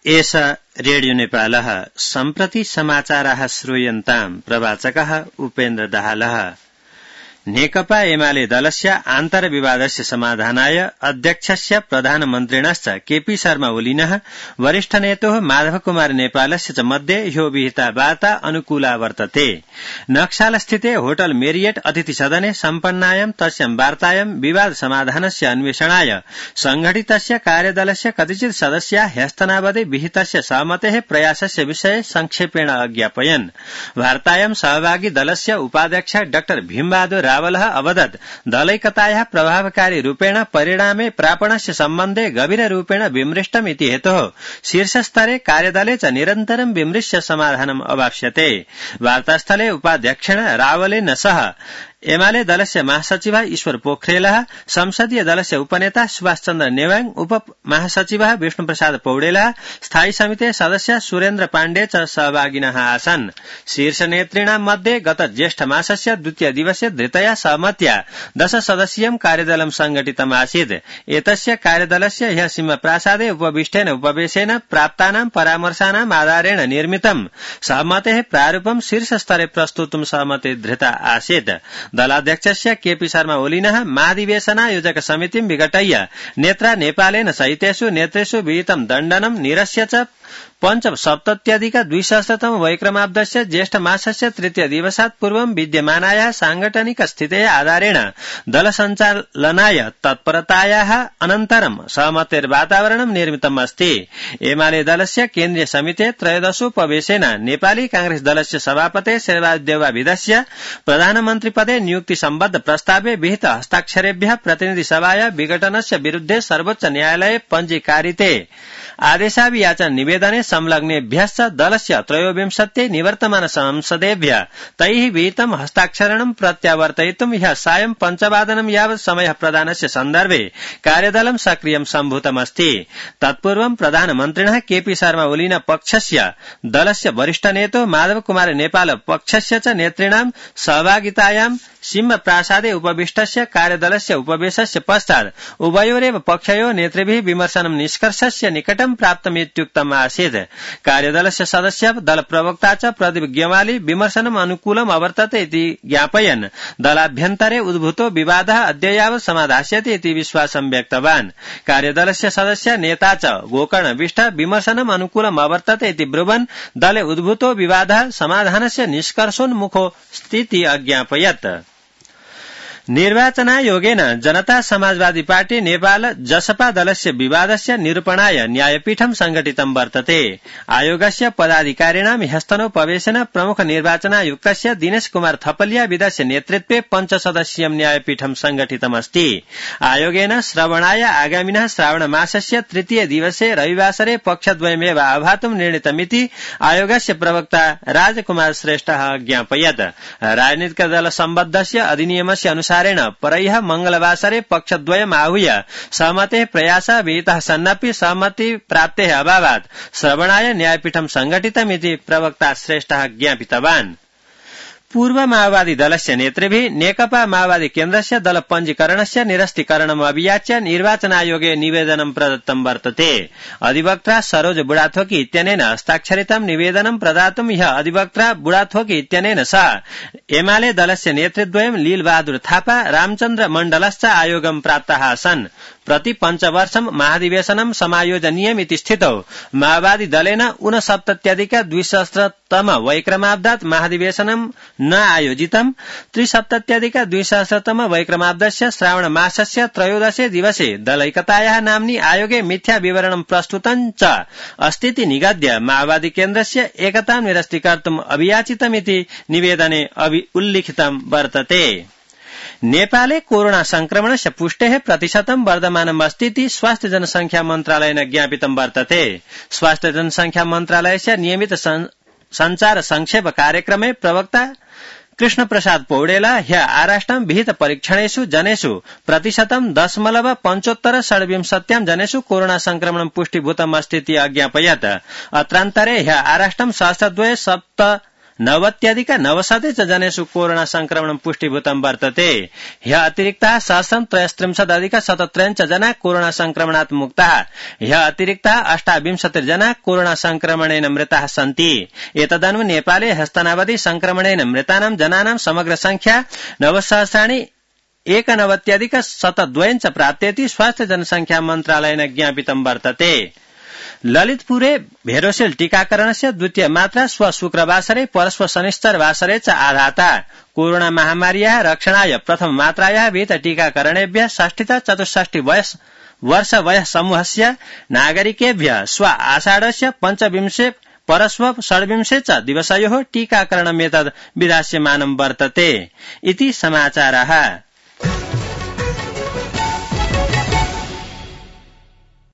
एष रेडियो नेपालः सम्प्रति समाचाराः श्रूयन्ताम् प्रवाचकः उपेन्द्र दाहालः। नेकपा एमाले दलस्य आन्तर्विवादस्य समाधानाय अध्यक्षस्य प्रधानमन्त्रिणश्च केपी शर्मा ओलिनः वरिष्ठ नेतोः माधव कुमार नेपालस्य च मध्ये ह्यो विहिता वार्ता अनुकूला वर्तते। नक्सालस्थिते होटल मेरियट अतिथि सदने सम्पन्नायां तस्यां वार्तायां विवाद समाधानस्य अन्वेषणाय संघटितस्य कार्यदलस्य कतिचित् सदस्या ह्यस्तनावधि विहितस्य सहमतेः प्रयासस्य विषये संक्षेपेण अज्ञापयन्। वार्तायां सहभागी दलस्य उपाध्यक्ष डाक्टर भीमबहादुर रावलः अवदत् दलैकतायाः प्रभावकारी रूपेण परिणामे प्रापणस्य सम्बन्धे गभीररूपेण विमृष्टम् इति हेतोः शीर्षस्तरे कार्यदले च निरन्तरं विमृश्य समाधानम् अवाप्स्यते। वार्तास्थले उपाध्यक्षेण रावलेन सह एमाले दलस्य महासचिवः ईश्वर पोखरेलः, संसदीय दलस्य उपनेता सुभाष चन्द्र नेवाङ, उप महासचिवः विष्णुप्रसाद पौडेलः, स्थायी समिति सदस्य सुरेन्द्र पाण्डे च सहभागिनः आसन्। शीर्ष नेतृणां मध्ये गत ज्येष्ठ मासस्य द्वितीय दिवसे धृतया सहमत्या 10 सदस्यीयं कार्यदलं संघटितम् आसीत्। एतस्य कार्यदलस्य ह्यः सिंहप्रासादे उपविष्टेन उपवेशेन प्राप्तानां परामर्शानाम् आधारेण निर्मितं सहमतेः प्रारूपं शीर्षस्तरे प्रस्तुतुं सहमति धृता आसीत्। दलाध्यक्षस्य केपी शर्मा ओलिनः महाधिवेशनायोजक समितिं विघटय्य नेत्रा नेपालेन सहितेषु नेतृषु विहितं दण्डनं निरस्य च पञ्चसप्तत्यधिक-द्विसहस्रतम वैक्रमाब्दस्य ज्येष्ठ मासस्य तृतीय दिवसात् पूर्वं विद्यमानायाः सांगठनिक स्थितेः आधारेण दल सञ्चालनाय तत्परतायाः अनन्तरं सहमतेर्वातावरणं निर्मितम् अस्ति। एमाले दलस्य केन्द्रीय समितेः त्रयोदशोपवेशेन नेपाली कांग्रेस दलस्य सभापते शेरबहादुर देउवाभिधस्य प्रधानमन्त्रिपदे नियुक्ति सम्बद्ध प्रस्तावे विहित हस्ताक्षरेभ्यः प्रतिनिधि सभाया विघटनस्य विरुद्धे सर्वोच्च न्यायालये पञ्जीकारिते आदेशाभियाचन निवेदने संलग्नेभ्यश्च दलस्य 23 निवर्तमान संसदेभ्यः तैः विहितं हस्ताक्षरणं प्रत्यावर्तयितुं ह्यः सायं 5:00 यावत् समयः प्रदानस्य सन्दर्भे कार्यदलं सक्रियं सम्भूतमस्ति। तत्पूर्वं प्रधानमन्त्रिणः केपी शर्मा ओली पक्षस्य दलस्य वरिष्ठ नेतो माधव कुमार नेपाल पक्षस्य च नेतृणां सहभागितायां सिंहप्रासादे उपविष्टस्य कार्यदलस्य उपवेशस्य पश्चात् उभयोरेव पक्षयोः नेतृभिः विमर्शनं निष्कर्षस्य निकटं प्राप्तमित्युक्तम् आसीत्। कार्यदलस्य सदस्य दल प्रवक्ता च प्रदीप गेवाली विमर्शनम् अनुकूलम् अवर्तते इति ज्ञापयन् दलाभ्यन्तरे उद्भूतो विवादः अद्य यावत् समाधास्यति इति विश्वासं व्यक्तवान्। कार्यदलस्य सदस्य नेता च गोकर्ण विष्ट विमर्शनम् अनुकूलम् अवर्तते इति ब्रुवन् दले उद्भूतो विवादः समाधानस्य निष्कर्षोन्मुखो स्थिति अज्ञापयत्। निर्वाचनायोगेन जनता समाजवादी पार्टी नेपाल जसपा दलस्य विवादस्य निरूपणाय न्यायपीठं संघटितं वर्तते। आयोगस्य पदाधिकारिणां ह्यस्तनोपवेशेन प्रमुख निर्वाचनायुक्तस्य दिनेश कुमार थपलिया विदस्य नेतृत्वे 5 सदस्यीयं न्यायपीठं संघटितमस्ति। आयोगेन श्रवणाय आगामिनः श्रावण मासस्य तृतीय दिवसे रविवासरे पक्षद्वयमेव आह्वातुं निर्णीतमिति आयोगस्य प्रवक्ता राजकुमार श्रेष्ठः ज्ञापयत्। राजनीतिक दल सम्बद्धस्य अधिनियमस्य अनुसार परह्यः मंगलवासरे पक्षद्वयम् आहूय सहमतेः प्रयासः विहितः सन्नपि सहमति प्राप्तेः अभावात् श्रवणाय न्यायपीठं संघटितमिति प्रवक्ता श्रेष्ठः ज्ञापितवान्। पूर्व माओवादी दलस्य नेतृभिः नेकपा माओवादी केन्द्रस्य दल पञ्जीकरणस्य निरस्तीकरणम् अभियाच्य निर्वाचनायोगे निवेदनं प्रदत्तं वर्तते। अधिवक्ता सरोज बुढाथोकी इत्यनेन हस्ताक्षरितं निवेदनं प्रदातुं ह्यः अधिवक्ता बुढाथोकी इत्यनेन सह एमाले दलस्य नेतृद्वयं लीलबहादुर थापा रामचन्द्र मण्डलश्च आयोगं प्राप्ताः आसन्। प्रति 5 वर्षं महाधिवेशनं समायोजनीयमिति स्थितौ माओवादी दलेन 69-200तम वैक्रमाब्दात् महाधिवेशनं न आयोजितम्। 73-200तम वैक्रमाब्दस्य श्रावण मासस्य 13 दिवसे दलैकतायाः नाम्नि आयोगे मिथ्या विवरणं प्रस्तुतं च अस्तीति निगद्य माओवादी केन्द्रस्य एकतां निरस्तीकर्तुम् अभियाचितमिति निवेदने उल्लिखितं वर्तते। नेपाले कोरोना संक्रमणस्य पुष्टेः प्रतिशतं वर्धमानम् अस्तीति स्वास्थ्य जनसंख्या मन्त्रालयेन ज्ञापितं वर्तते। स्वास्थ्य जनसंख्या मन्त्रालयस्य नियमित संचार संक्षेप कार्यक्रमे प्रवक्ता कृष्ण प्रसाद पौडेल ह्य आराष्ट्रं विहित परीक्षणेषु जनेषु प्रतिशतं 0.75 जनेषु कोरोना संक्रमणं पुष्टिभूतम् अस्तीति अज्ञापयत्। अत्रान्तरे ह्य आराष्ट्रं सहस्रद्वये 90,900 च जनेषु कोरोना संक्रमणं पुष्टिभूतं वर्तते। ह्यः अतिरिक्ताः 1,063,000 च जना कोरोना संक्रमणात् मुक्ताः। ह्यः अतिरिक्ताः 28 जना कोरोना संक्रमणेन मृताः सन्ति। एतदनु नेपाले हस्तनावधि संक्रमणेन मृतानां जनानां समग्र संख्या 9,91,102 च प्राप्तेति स्वास्थ्य जनसंख्या मन्त्रालयेन ज्ञापितं वर्तते। ललितपुरे भेरोसेल टीकाकरणस्य द्वितीय मात्रा श्व शुक्रवासरे परश्व शनिश्चरवासरे च आधाता। कोरोना महामार्याः रक्षणाय प्रथम मात्रायाः विहित टीकाकरणेभ्यः 60-64 वर्ष वयः समूहस्य नागरिकेभ्यः श्व आषाढस्य 25 परश्व 26 च दिवसयोः टीकाकरणमेतद् विधास्यमानं वर्तते इति समाचाराः।